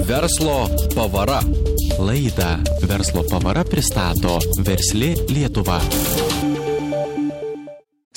Verslo pavara. Laidą Verslo pavara pristato Versli Lietuva.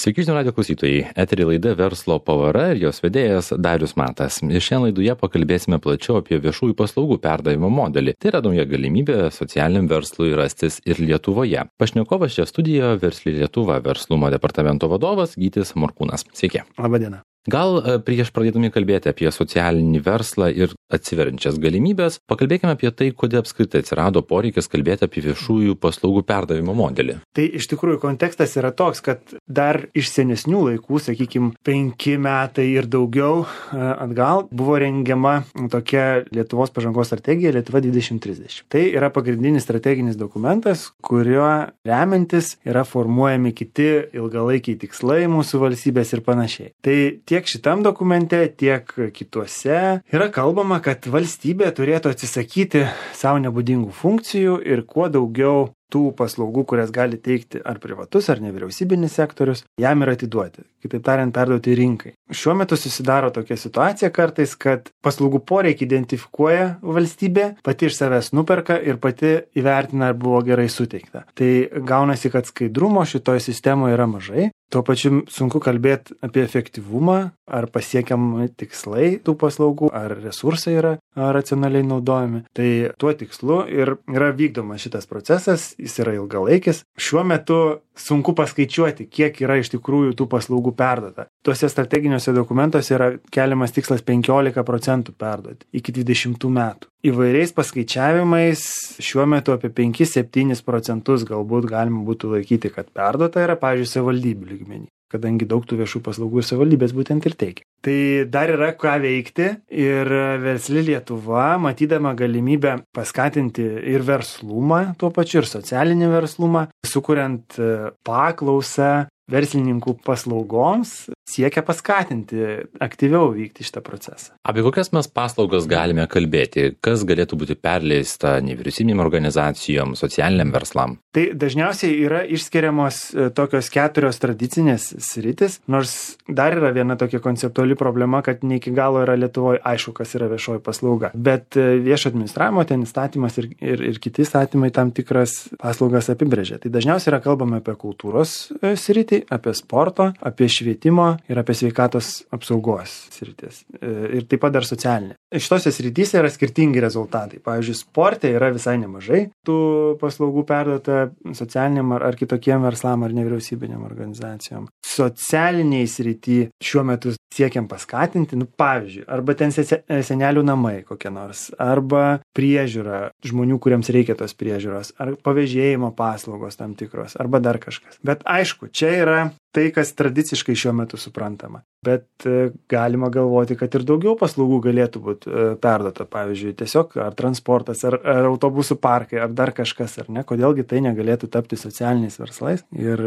Sveiki žinių radijo klausytojai. Etery laida Verslo pavara ir jos vedėjas Darius Matas. Ir šiandien laidoje pakalbėsime plačiau apie viešųjų paslaugų perdavimo modelį. Tai yra nauja galimybė socialiniam verslui rastis ir Lietuvoje. Pašnekovas čia studijoje Versli Lietuva verslumo departamento vadovas Gytis Morkūnas. Sveiki. Labadiena. Gal prieš pradėdami kalbėti apie socialinį verslą ir atsiveriančias galimybės, pakalbėkime apie tai, kodėl apskritai atsirado poreikis kalbėti apie viešųjų paslaugų perdavimo modelį. Tai iš tikrųjų kontekstas yra toks, kad dar iš senesnių laikų, sakykime, 5 metai ir daugiau atgal buvo rengiama tokia Lietuvos pažangos strategija Lietuva 2030. Tai yra pagrindinis strateginis dokumentas, kuriuo remiantis yra formuojami kiti ilgalaikiai tikslai mūsų valstybės ir panašiai. Tai tiek šitam dokumente, tiek kituose yra kalbama, kad valstybė turėtų atsisakyti savo nebūdingų funkcijų ir kuo daugiau tų paslaugų, kurias gali teikti ar privatus, ar nevyriausybinis sektorius, jam yra atiduoti. Kitaip tariant, perduoti rinkai. Šiuo metu susidaro tokia situacija kartais, kad paslaugų poreikį identifikuoja valstybė, pati iš savęs nuperka ir pati įvertina, ar buvo gerai suteikta. Tai gaunasi, kad skaidrumo šitoje sistemoje yra mažai. Tuo pačiu sunku kalbėti apie efektyvumą, ar pasiekiam tikslai tų paslaugų, ar resursai yra racionaliai naudojami. Tai tuo tikslu ir yra vykdomas šitas procesas, jis yra ilgalaikis. Šiuo metu sunku paskaičiuoti, kiek yra iš tikrųjų tų paslaugų perduota. Tuose strateginiuose dokumentuose yra keliamas tikslas 15% perduoti iki 20 metų. Įvairiais paskaičiavimais šiuo metu apie 5-7% galbūt galima būtų laikyti, kad perduota yra, pavyzdžiui, savivaldybių lygmenį, kadangi daug tų viešų paslaugų savivaldybės būtent ir teikia. Tai dar yra ką veikti ir Versli Lietuva, matydama galimybę paskatinti ir verslumą, tuo pačiu ir socialinį verslumą, sukuriant paklausą verslininkų paslaugoms, siekia paskatinti aktyviau vykti šitą procesą. Apie kokias mes paslaugas galime kalbėti? Kas galėtų būti perleista nevyriausybinėm organizacijom, socialiniam verslam? Tai dažniausiai yra išskiriamos tokios 4 tradicinės sritis, nors dar yra viena tokia konceptuali problema, kad ne iki galo yra Lietuvoje aišku, kas yra viešoji paslauga. Bet viešo administravimo ten įstatymas ir kiti įstatymai tam tikras paslaugas apibrėžia. Tai dažniausiai yra kalbama apie kultūros sritį, apie sporto, apie švietimo ir apie sveikatos apsaugos sritis. Ir taip pat dar socialinė. Šitose srityse yra skirtingi rezultatai. Pavyzdžiui, sporte yra visai nemažai tų paslaugų perduota socialiniam ar kitokiem verslam ar nevyriausybinėm organizacijom. Socialiniai srity šiuo metu siekiam paskatinti, pavyzdžiui, arba ten senelių namai kokie nors, arba priežiūra žmonių, kuriems reikia tos priežiūros, ar pavėžėjimo paslaugos tam tikros, arba dar kažkas. Bet aišku, čia yra tai, kas tradiciškai šiuo metu suprantama. Bet galima galvoti, kad ir daugiau paslaugų galėtų būti perduota. Pavyzdžiui, tiesiog ar transportas, ar autobusų parkai, ar dar kažkas, ar ne. Kodėlgi tai negalėtų tapti socialiniais verslais ir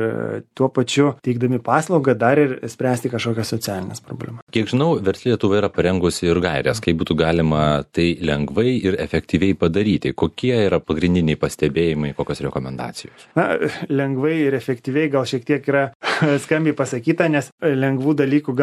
tuo pačiu teikdami paslaugą dar ir spręsti kažkokias socialinės problemas. Kiek žinau, Versli Lietuva yra parengusi ir gairės, kaip būtų galima tai lengvai ir efektyviai padaryti. Kokie yra pagrindiniai pastebėjimai, kokios rekomendacijos? Na, lengvai ir efektyviai gal šiek tiek yra skambiai pasakyta, nes lengvų dalykų gal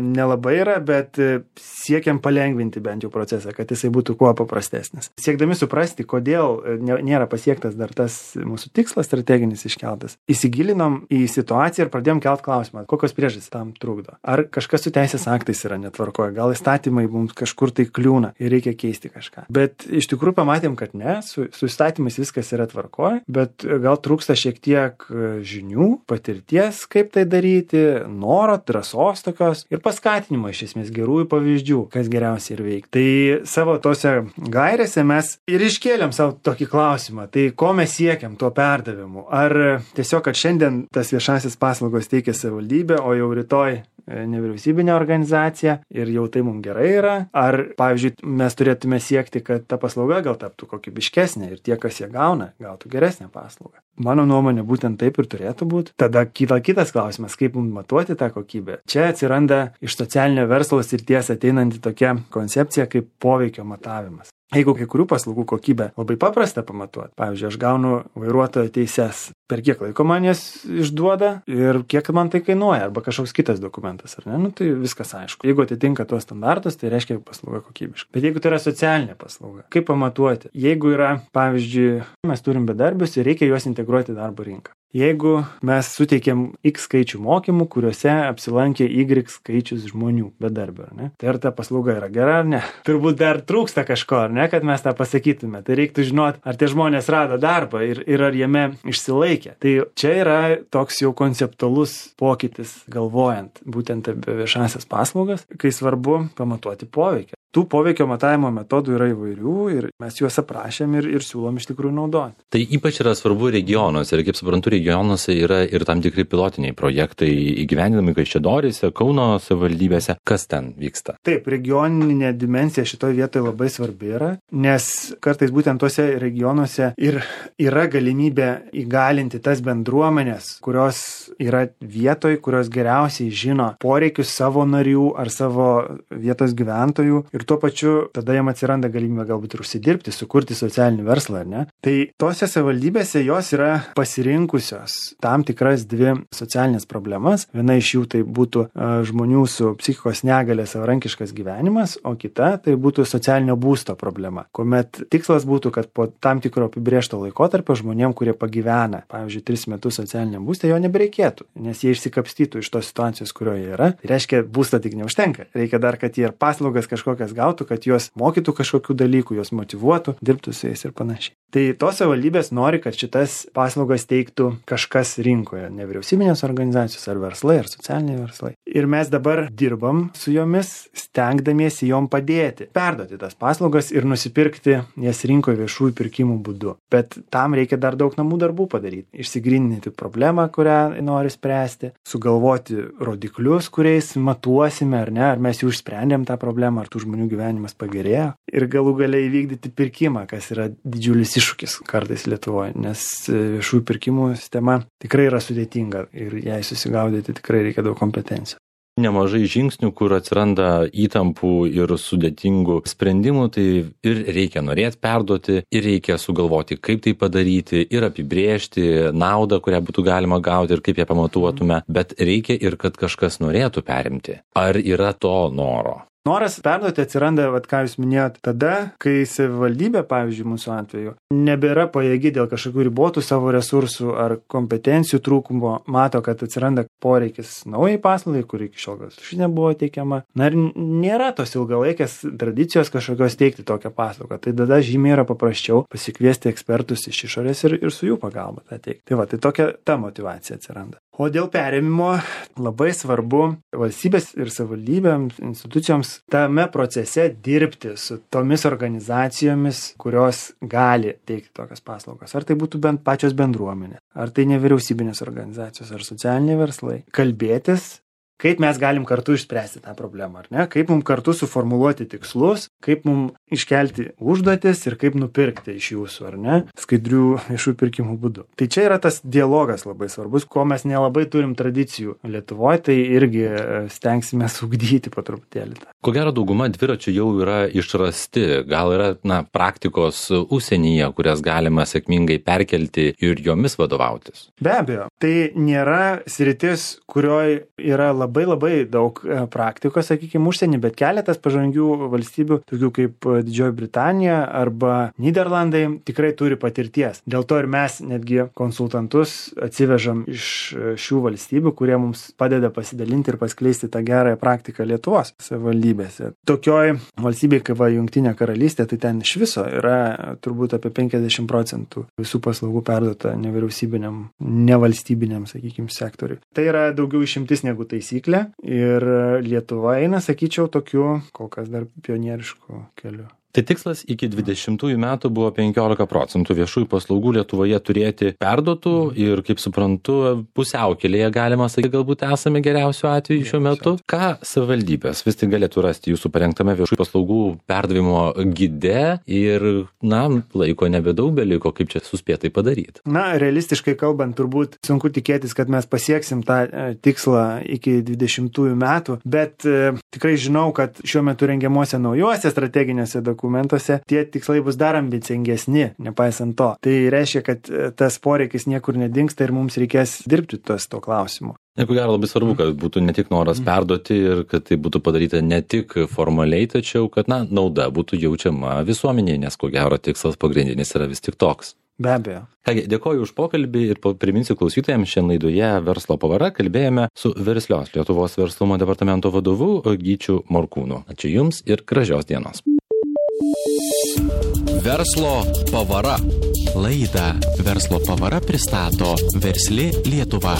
nelabai yra, bet siekiam palengvinti bent jau procesą, kad jisai būtų kuo paprastesnis. Siekdami suprasti, kodėl nėra pasiektas dar tas mūsų tikslas strateginis iškeltas, įsigilinom į situaciją ir pradėjom kelt klausimą, kokios priežastys tam trukdo. Ar kažkas su teisės aktais yra netvarkoje, gal įstatymai mums kažkur tai kliūna ir reikia keisti kažką. Bet iš tikrųjų pamatėm, kad ne, su įstatymais viskas yra tvarkoje, bet gal trūksta šiek tiek žinių, patirties, kaip tai daryti, noro, drąsos tokios ir paskatinimo iš esmės gerųjų pavyzdžių, kas geriausiai ir veikia. Tai savo tose gairėse mes ir iškėlėm savo tokį klausimą, tai ko mes siekiam tuo perdavimu? Ar tiesiog, kad šiandien tas viešasis paslaugos teikia savivaldybė, o jau rytoj nevyriausybinė organizacija ir jau tai mums gerai yra? Ar, pavyzdžiui, mes turėtume siekti, kad ta paslauga gal taptų kokybiškesnė ir tie, kas ją gauna, gautų geresnę paslaugą? Mano nuomonė, būtent taip ir turėtų būti. Tada kyla kitas klausimas, kaip mums matuoti tą kokybę. Čia atsiranda iš socialinio verslo srities ateinanti tokia koncepcija kaip poveikio matavimas. Jeigu kai kurių paslaugų kokybę labai paprasta pamatuoti, pavyzdžiui, aš gaunu vairuotojo teises, per kiek laiko man jas išduoda ir kiek man tai kainuoja, arba kažkoks kitas dokumentas, ar ne, tai viskas aišku. Jeigu atitinka tuos standartus, tai reiškia paslauga kokybiška. Bet jeigu tai yra socialinė paslauga, kaip pamatuoti? Jeigu yra, pavyzdžiui, mes turim bedarbius ir reikia juos integruoti į darbo rinką. Jeigu mes suteikėm X skaičių mokymų, kuriuose apsilankė Y skaičius žmonių bedarbių, ar ne? Tai ar ta paslauga yra gera ar ne? Turbūt dar trūksta kažko, ar ne, kad mes tą pasakytume. Tai reiktų žinoti, ar tie žmonės rado darbą ir ar jame išsilaikė. Tai čia yra toks jau konceptualus pokytis galvojant būtent apie viešasias paslaugas, kai svarbu pamatuoti poveikį. Tų poveikio matavimo metodų yra įvairių ir mes juos aprašėm ir siūlom iš tikrųjų naudoti. Tai ypač yra svarbu regionuose ir kaip suprantu, regionuose yra ir tam tikri pilotiniai projektai įgyvendinami Kaišiadoryse, Kauno savivaldybėse. Kas ten vyksta? Taip, regioninė dimensija šitoje vietoje labai svarbi yra, nes kartais būtent tuose regionuose ir yra galimybė įgalinti tas bendruomenės, kurios yra vietoje, kurios geriausiai žino poreikius savo narių ar savo vietos gyventojų. Ir tuo pačiu tada jam atsiranda galimybė galbūt ir užsidirbti, sukurti socialinį verslą, ar ne? Tai tose savivaldybėse jos yra pasirinkusios tam tikras dvi socialinės problemas. Viena iš jų tai būtų žmonių su psichikos negalia savarankiškas gyvenimas, o kita tai būtų socialinio būsto problema. Kuomet tikslas būtų, kad po tam tikro apibrėžto laikotarpio žmonėm, kurie pagyvena, pavyzdžiui, 3 metus socialiniam būste, jo nebereikėtų, nes jie išsikapstytų iš tos situacijos, kurioje yra. Tai reiškia, būsto tik neužtenka. Reikia dar, kad jie ir paslaugas kažkokias gautų, kad juos mokytų kažkokių dalykų, juos motyvuotų, dirbtų su jais ir panašiai. Tai tos savivaldybės nori, kad šitas paslaugas teiktų kažkas rinkoje, nevyriausybinės organizacijos ar verslai, ar socialiniai verslai. Ir mes dabar dirbam su jomis, stengdamiesi jom padėti, perduoti tas paslaugas ir nusipirkti jas rinkoje viešųjų pirkimų būdu. Bet tam reikia dar daug namų darbų padaryti. Išsigryninti problemą, kurią nori spręsti, sugalvoti rodiklius, kuriais matuosime ar ne, ar mes jau išsprendėm tą problemą, ar tų žmonių gyvenimas pagerėjo. Ir galų galiai įvykdyti pirkimą, kas yra didžiulis iššūkis kartais Lietuvoje, nes viešųjų pirkimų sistema tikrai yra sudėtinga ir jai susigaudyti tikrai reikia daug kompetencijų. Nemažai žingsnių, kur atsiranda įtampų ir sudėtingų sprendimų, tai ir reikia norėti perduoti, ir reikia sugalvoti, kaip tai padaryti, ir apibrėžti naudą, kurią būtų galima gauti ir kaip ją pamatuotume, bet reikia ir kad kažkas norėtų perimti. Ar yra to noro? Noras perduoti atsiranda, ką jūs minėjote, tada, kai savivaldybė, pavyzdžiui, mūsų atveju, nebėra pajėgi dėl kažkokių ribotų savo resursų ar kompetencijų trūkumo, mato, kad atsiranda poreikis naujai paslaugai, kuri iki šiol ši nebuvo teikiama. Na ir nėra tos ilgalaikės tradicijos kažkokios teikti tokią paslaugą. Tai tada žymiai yra paprasčiau pasikviesti ekspertus iš išorės ir su jų pagalba tą teikti. Tai va, tai tokia ta motyvacija atsiranda. O dėl perėmimo labai svarbu valstybės ir savivaldybėms, institucijoms tame procese dirbti su tomis organizacijomis, kurios gali teikti tokias paslaugas. Ar tai būtų bent pačios bendruomenė, ar tai nevyriausybinės organizacijos, ar socialiniai verslai. Kalbėtis, kaip mes galim kartu išspręsti tą problemą, ar ne? Kaip mums kartu suformuluoti tikslus, kaip mums iškelti užduotis ir kaip nupirkti iš jūsų, ar ne? Skaidrių viešųjų pirkimų būdu. Tai čia yra tas dialogas labai svarbus, ko mes nelabai turim tradicijų Lietuvoje, tai irgi stengsime ugdyti po truputėlį. Ko gero dauguma dviračių jau yra išrasti, gal yra praktikos užsienyje, kurias galima sėkmingai perkelti ir jomis vadovautis? Be abejo, tai nėra sritis, kurioje yra labai daug praktikos, sakykime, užsienį, bet keletas pažangių valstybių, tokių kaip Didžioji Britanija arba Nyderlandai, tikrai turi patirties. Dėl to ir mes netgi konsultantus atsivežam iš šių valstybių, kurie mums padeda pasidalinti ir paskleisti tą gerąją praktiką Lietuvos savivaldybėse. Tokioj valstybėje kaip Jungtinė karalystė, tai ten iš viso yra turbūt apie 50% visų paslaugų perduota nevyriausybiniam, nevalstybiniam, sakykime, sektoriui. Tai yra daugiau išimtis negu taisyklė ir Lietuva eina, sakyčiau, tokiu kol kas dar pionierišku keliu. Tai tikslas iki 20 metų buvo 15% viešųjų paslaugų Lietuvoje turėti perduotų ir, kaip suprantu, pusiaukelėje galima sakyti, galbūt esame geriausiu atveju šiuo metu. Ką savivaldybės vis tik galėtų rasti jūsų parengtame viešųjų paslaugų perdavimo gide ir, laiko nebedaug beliko, kaip čia suspėtai padaryti? Realistiškai kalbant, turbūt sunku tikėtis, kad mes pasieksim tą tikslą iki 20 metų, bet tikrai žinau, kad šiuo metu rengiamuose naujuose strateginėse dokumentuose tie tikslai bus dar ambicingesni, nepaisant to. Tai reiškia, kad tas poreikis niekur nedingsta ir mums reikės dirbti to klausimu. Ko gero labai svarbu, kad būtų ne tik noras perduoti ir kad tai būtų padaryta ne tik formaliai, tačiau kad nauda būtų jaučiama visuomenėje, nes ko gero tikslas pagrindinis yra vis tik toks. Be abejo. Kągi, dėkoju už pokalbį ir priminsiu klausytojams, šiandien laidoje Verslo pavara kalbėjome su Verslios Lietuvos verslumo departamento vadovu Gyčiu Morkūnu. Ačiū Jums ir gražios dienos. Verslo pavara. Laidą Verslo pavara pristato Versli Lietuva.